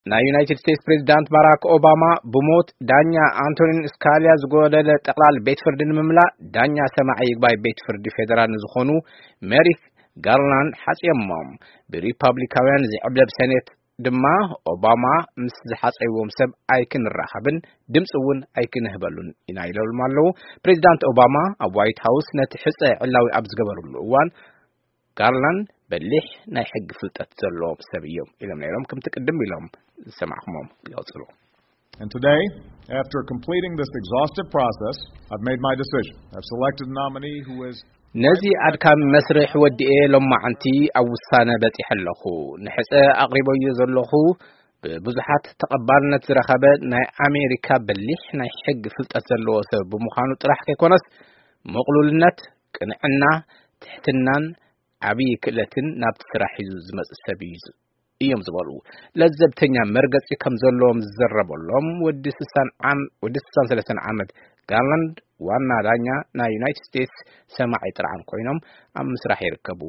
ናይ ዩናይትድ ስቴትስ ፕሬዚዳንት ባራክ ኦባማ ብሞት ዳኛ ኣንቶኒን ስካሊያ ዝጎደለ ጠቕላል ቤት ፍርዲ ንምምላእ፣ ዳኛ ሰማዒ ይግባይ ቤት ፍርዲ ፌዴራል ንዝኾኑ ሜሪክ ጋርላንድ ሓጽዮሞም። ብሪፓብሊካውያን ዝዕብለብ ሴኔት ድማ ኦባማ ምስ ዝሓጸይዎም ሰብ ኣይክንራኸብን ድምፂ እውን ኣይክንህበሉን ኢና ኢሎም ኣለዉ። ፕሬዚዳንት ኦባማ ኣብ ዋይት ሃውስ ነቲ ሕጸ ዕላዊ ኣብ ዝገበርሉ እዋን፣ ጋርላንድ በሊሕ ናይ ሕጊ ፍልጠት ዘለዎም ሰብ እዮም ኢሎም ነይሮም፣ ከምቲ ቅድም ኢሎም ዝሰማዕኹሞም ይቐጽሉ። And today, after completing this exhaustive process, I've made my decision. I've selected a nominee who is ነዚ ኣድካሚ መስርሕ ወዲኤ ሎማዓንቲ ኣብ ውሳነ በጺሐ ኣለኹ። ንሕጸ ኣቕሪበዮ ዘለኹ ብብዙሓት ተቐባልነት ዝረኸበ ናይ ኣሜሪካ በሊሕ ናይ ሕጊ ፍልጠት ዘለዎ ሰብ ብምዃኑ ጥራሕ ከይኮነስ፣ ምቕሉልነት፣ ቅንዕና፣ ትሕትናን ዓብዪ ክእለትን ናብቲ ስራሕ ሒዙ ዝመጽእ ሰብ እዩ እዮም ዝበሉ ለዘብተኛ መርገጺ ከም ዘለዎም ዝዘረበሎም ወዲ ስሳን ዓም-፣ ወዲ ስሳን ሰለስተን ዓመት ጋርላንድ ዋና ዳኛ ናይ ዩናይትድ ስቴትስ ሰማዒ ጥርዓን ኮይኖም ኣብ ምስራሕ ይርከቡ።